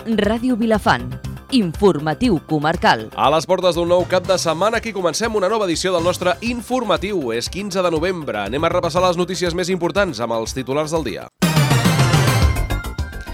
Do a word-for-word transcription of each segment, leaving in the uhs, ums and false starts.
Ràdio Vilafant. Informatiu comarcal. A les portes d'un nou cap de setmana, aquí comencem una nova edició del nostre informatiu. És quinze de novembre. Anem a repassar les notícies més importants amb els titulars del dia.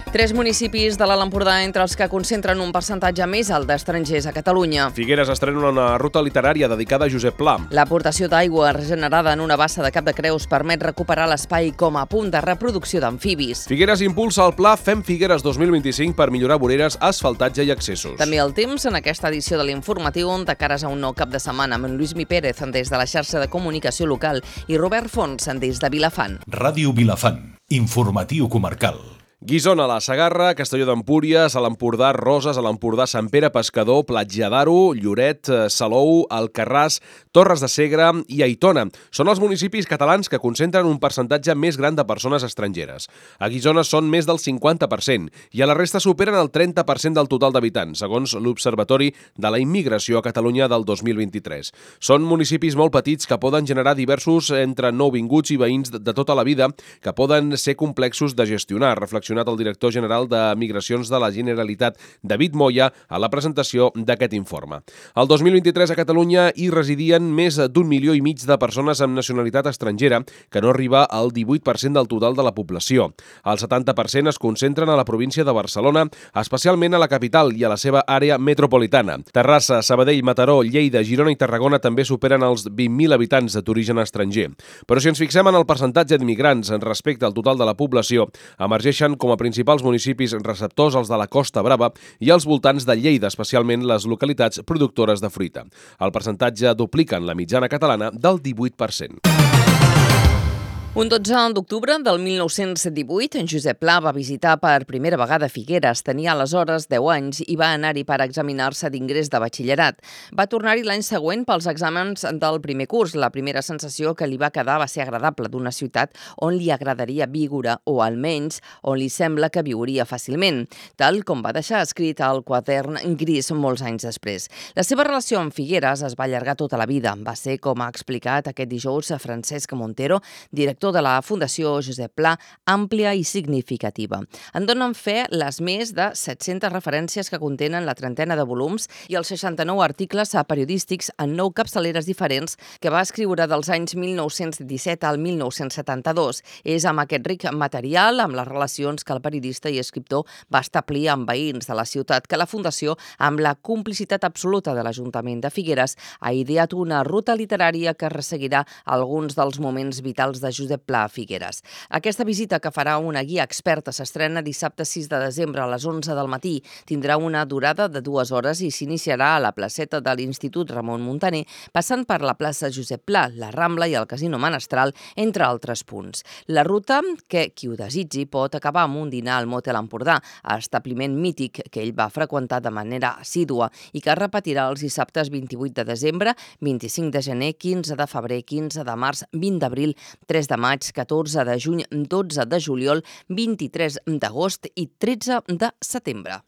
Tres municipis de l'Alt Empordà entre els que concentren un percentatge més alt d'estrangers a Catalunya. Figueres estrena una ruta literària dedicada a Josep Pla. L'aportació d'aigua regenerada en una bassa de Cap de Creus permet recuperar l'espai com a punt de reproducció d'amfibis. Figueres impulsa el pla Fem Figueres dos mil vint-i-cinc per millorar voreres, asfaltatge i accessos. També el temps en aquesta edició de l'informatiu de cares a un nou cap de setmana amb en Lluís Mi Pérez des de la xarxa de comunicació local i Robert Fons des de Vilafant. Ràdio Vilafant. Informatiu comarcal. Guissona, la Segarra, Castelló d'Empúries, a l'Empordà, Roses, a l'Empordà, Sant Pere Pescador, Platja d'Aro, Lloret, Salou, Alcarràs, Torres de Segre i Aitona. Són els municipis catalans que concentren un percentatge més gran de persones estrangeres. A Guissona són més del cinquanta per cent i a la resta superen el trenta per cent del total d'habitants, segons l'Observatori de la Immigració a Catalunya del dos mil vint-i-tres. Són municipis molt petits que poden generar diversos entre nouvinguts i veïns de tota la vida que poden ser complexos de gestionar, reflexionat el director general de Migracions de la Generalitat, David Moya, a la presentació d'aquest informe. El dos mil vint-i-tres a Catalunya hi residien més d'un milió i mig de persones amb nacionalitat estrangera, que no arriba al divuit per cent del total de la població. El setanta per cent es concentren a la província de Barcelona, especialment a la capital i a la seva àrea metropolitana. Terrassa, Sabadell, Mataró, Lleida, Girona i Tarragona també superen els vint mil habitants d'origen estranger. Però si ens fixem en el percentatge d'immigrants respecte al total de la població, emergeixen com a principals municipis receptors els de la Costa Brava i els voltants de Lleida, especialment les localitats productores de fruita. El percentatge duplica en la mitjana catalana del divuit per cent. Un dotze d'octubre del mil nou-cents divuit, en Josep Pla va visitar per primera vegada Figueres. Tenia aleshores deu anys i va anar-hi per examinar-se d'ingrés de batxillerat. Va tornar-hi l'any següent pels exàmens del primer curs. La primera sensació que li va quedar va ser agradable d'una ciutat on li agradaria viure, o almenys on li sembla que viuria fàcilment, tal com va deixar escrit al quadern gris molts anys després. La seva relació amb Figueres es va allargar tota la vida. Va ser, com ha explicat aquest dijous Francesc Montero, director de la Fundació Josep Pla, àmplia i significativa. En donen fe les més de set-centes referències que contenen la trentena de volums i els seixanta-nou articles periodístics en nou capçaleres diferents que va escriure dels anys mil nou-cents disset al mil nou-cents setanta-dos. És amb aquest ric material, amb les relacions que el periodista i escriptor va establir amb veïns de la ciutat, que la Fundació, amb la complicitat absoluta de l'Ajuntament de Figueres, ha ideat una ruta literària que resseguirà alguns dels moments vitals de Josep Pla a Figueres. Aquesta visita, que farà una guia experta, s'estrena dissabte sis de desembre a les onze del matí. Tindrà una durada de dues hores i s'iniciarà a la placeta de l'Institut Ramon Muntaner, passant per la plaça Josep Pla, la Rambla i el Casino Menestral, entre altres punts. La ruta, que qui ho desitgi pot acabar amb un dinar al Motel Empordà, establiment mític que ell va freqüentar de manera assídua i que repetirà els dissabtes vint-i-vuit de desembre, vint-i-cinc de gener, quinze de febrer, quinze de març, vint d'abril, tres de maig, catorze de juny, dotze de juliol, vint-i-tres d'agost i tretze de setembre.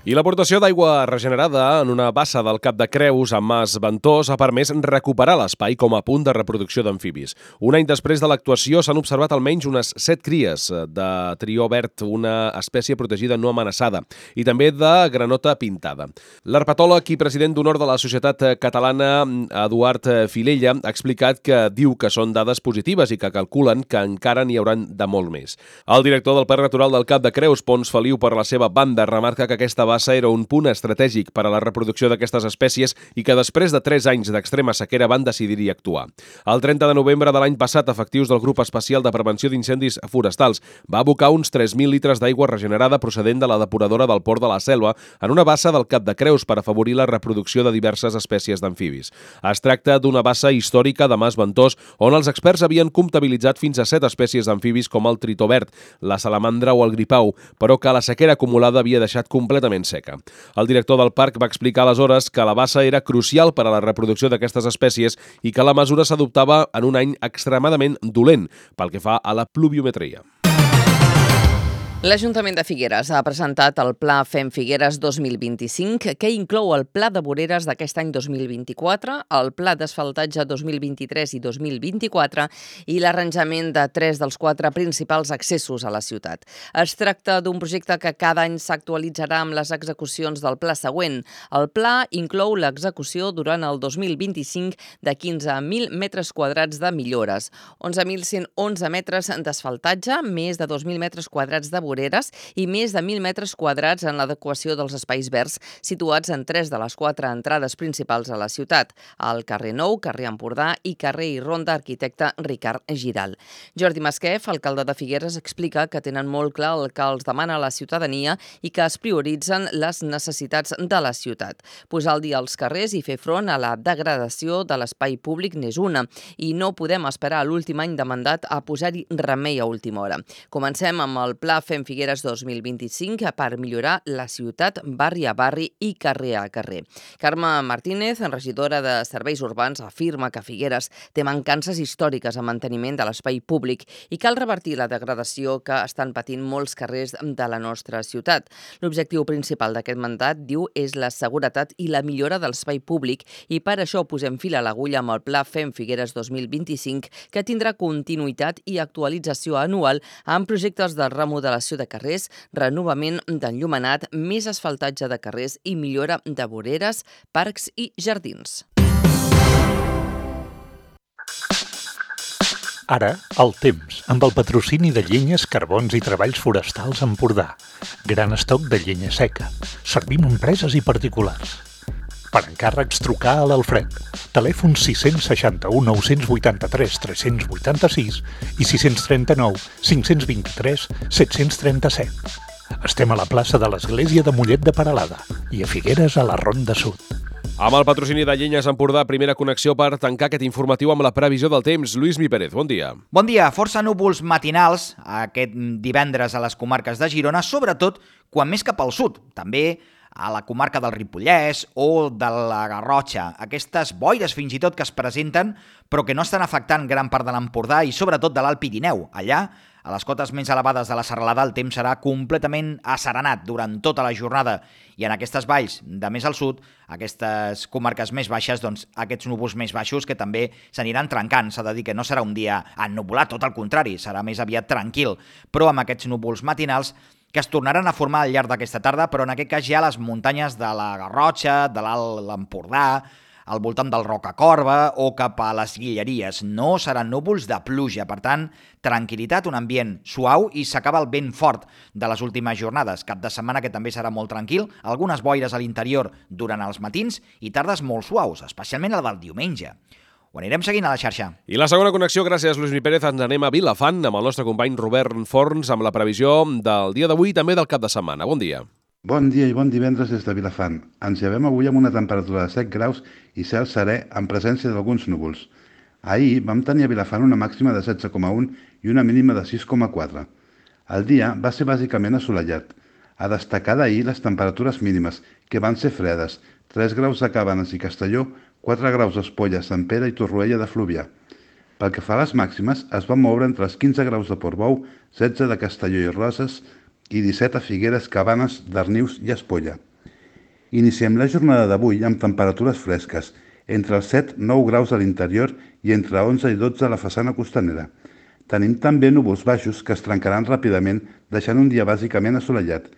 I l'aportació d'aigua regenerada en una bassa del Cap de Creus a Mas Ventós ha permès recuperar l'espai com a punt de reproducció d'amfibis. Un any després de l'actuació s'han observat almenys unes set cries de trió verd, una espècie protegida no amenaçada, i també de granota pintada. L'herpetòleg i president d'honor de la Societat Catalana, Eduard Filella, ha explicat que diu que són dades positives i que calculen que encara n'hi hauran de molt més. El director del Parc Natural del Cap de Creus, Pons Feliu, per la seva banda, remarca que aquesta bassa era un punt estratègic per a la reproducció d'aquestes espècies i que després de tres anys d'extrema sequera van decidir-hi actuar. El trenta de novembre de l'any passat, efectius del Grup Especial de Prevenció d'Incendis Forestals va abocar uns tres mil litres d'aigua regenerada procedent de la depuradora del Port de la Selva en una bassa del Cap de Creus per afavorir la reproducció de diverses espècies d'amfibis. Es tracta d'una bassa històrica de Mas Ventós on els experts havien comptabilitzat fins a set espècies d'amfibis com el tritó verd, la salamandra o el gripau, però que la sequera acumulada havia deixat completament seca. El director del parc va explicar aleshores que la bassa era crucial per a la reproducció d'aquestes espècies i que la mesura s'adoptava en un any extremadament dolent pel que fa a la pluviometria. L'Ajuntament de Figueres ha presentat el Pla Fem Figueres dos mil vint-i-cinc, que inclou el Pla de voreres d'aquest any dos mil vint-i-quatre, el Pla d'asfaltatge dos mil vint-i-tres i dos mil vint-i-quatre i l'arranjament de tres dels quatre principals accessos a la ciutat. Es tracta d'un projecte que cada any s'actualitzarà amb les execucions del pla següent. El pla inclou l'execució durant el dos mil vint-i-cinc de quinze mil metres quadrats de millores, onze mil cent onze metres d'asfaltatge, més de dos mil metres quadrats de voreres i més de mil metres quadrats en l'adequació dels espais verds situats en tres de les quatre entrades principals a la ciutat, al carrer Nou, carrer Empordà i carrer i Ronda Arquitecte Ricard Giral. Jordi Masquef, alcalde de Figueres, explica que tenen molt clar el que els demana la ciutadania i que es prioritzen les necessitats de la ciutat. Posar al dia els carrers i fer front a la degradació de l'espai públic n'és una, i no podem esperar a l'últim any de mandat a posar-hi remei a última hora. Comencem amb el Pla Fem Figueres dos mil vint-i-cinc per millorar la ciutat barri a barri i carrer a carrer. Carme Martínez, regidora de Serveis Urbans, afirma que Figueres té mancances històriques en manteniment de l'espai públic i cal revertir la degradació que estan patint molts carrers de la nostra ciutat. L'objectiu principal d'aquest mandat, diu, és la seguretat i la millora de l'espai públic i per això posem fil a l'agulla amb el Pla Fem Figueres dos mil vint-i-cinc, que tindrà continuïtat i actualització anual amb projectes de remodelació de carrers, renovament d'enllumenat, més asfaltatge de carrers i millora de voreres, parcs i jardins. Ara, el temps, amb el patrocini de Llenyes, Carbons i Treballs Forestals Empordà. Gran estoc de llenya seca. Servim a empreses i particulars. Per encàrrecs, trucar a l'Alfred. Telèfon sis seixanta u nou vuitanta-tres tres vuitanta-sis i sis trenta-nou cinc vint-i-tres set trenta-set. Estem a la plaça de l'Església de Mollet de Peralada i a Figueres a la Ronda Sud. Amb el patrocini de Llenyes Empordà, primera connexió per tancar aquest informatiu amb la previsió del temps. Lluís Mi Pérez, bon dia. Bon dia. Força núvols matinals aquest divendres a les comarques de Girona, sobretot quan més cap al sud. També a la comarca del Ripollès o de la Garrotxa. Aquestes boires fins i tot que es presenten però que no estan afectant gran part de l'Empordà i sobretot de l'Alt Pirineu. Allà, a les cotes més elevades de la serralada, el temps serà completament asserenat durant tota la jornada i en aquestes valls de més al sud, aquestes comarques més baixes, doncs aquests núvols més baixos que també s'aniran trencant. S'ha de dir que no serà un dia ennuvolat, tot el contrari, serà més aviat tranquil, però amb aquests núvols matinals que es tornaran a formar al llarg d'aquesta tarda, però en aquest cas ja a les muntanyes de la Garrotxa, de l'Alt Empordà, al voltant del Rocacorba o cap a les Guilleries. No seran núvols de pluja, per tant, tranquil·litat, un ambient suau i s'acaba el vent fort de les últimes jornades. Cap de setmana que també serà molt tranquil, algunes boires a l'interior durant els matins i tardes molt suaus, especialment el del diumenge. Ho anirem seguint a la xarxa. I la segona connexió, gràcies Lluís Mi Pérez, ens anem a Vilafant amb el nostre company Robert Forns amb la previsió del dia d'avui i també del cap de setmana. Bon dia. Bon dia i bon divendres des de Vilafant. Ens llevem avui amb una temperatura de set graus i cel serè en presència d'alguns núvols. Ahir vam tenir a Vilafant una màxima de setze coma un i una mínima de sis coma quatre. El dia va ser bàsicament assolellat. A destacar d'ahir les temperatures mínimes, que van ser fredes, tres graus a Cabanes i Castelló, quatre graus a Espolla, Sant Pere i Torroella de Fluvià. Pel que fa a les màximes, es van moure entre els quinze graus de Portbou, setze de Castelló i Roses i disset a Figueres, Cabanes, Darnius i Espolla. Iniciem la jornada d'avui amb temperatures fresques, entre els set i nou graus a l'interior i entre onze i dotze a la façana costanera. Tenim també núvols baixos que es trencaran ràpidament, deixant un dia bàsicament assolellat.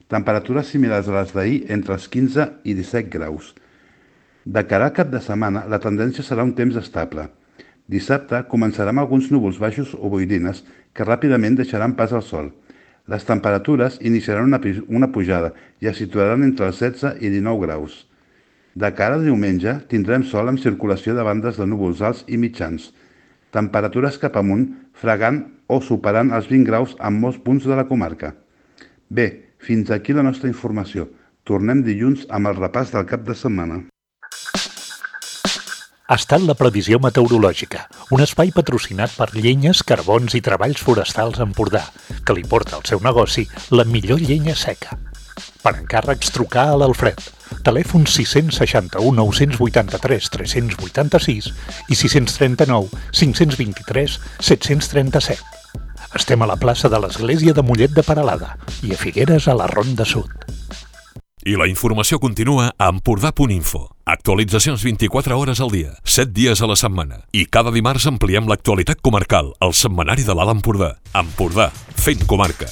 Temperatures similars a les d'ahir entre els quinze i disset graus. De cara al cap de setmana, la tendència serà un temps estable. Dissabte començarà amb alguns núvols baixos o boirines que ràpidament deixaran pas al sol. Les temperatures iniciaran una, una pujada i es situaran entre els setze i dinou graus. De cara a diumenge tindrem sol amb circulació de bandes de núvols alts i mitjans. Temperatures cap amunt, fregant o superant els vint graus en molts punts de la comarca. Bé, fins aquí la nostra informació. Tornem dilluns amb el repàs del cap de setmana. Ha estat la previsió meteorològica, un espai patrocinat per Llenyes, Carbons i Treballs Forestals Empordà, que li porta al seu negoci la millor llenya seca. Per encàrrecs, trucar a l'Alfred. Telèfon sis seixanta u nou vuitanta-tres tres vuitanta-sis i sis trenta-nou cinc vint-i-tres set trenta-set. Estem a la plaça de l'Església de Mollet de Peralada i a Figueres a la Ronda Sud. I la informació continua a empordà punt info. Actualitzacions vint-i-quatre hores al dia, set dies a la setmana. I cada dimarts ampliem l'actualitat comarcal, al setmanari de l'Alt Empordà. Empordà, fent comarca.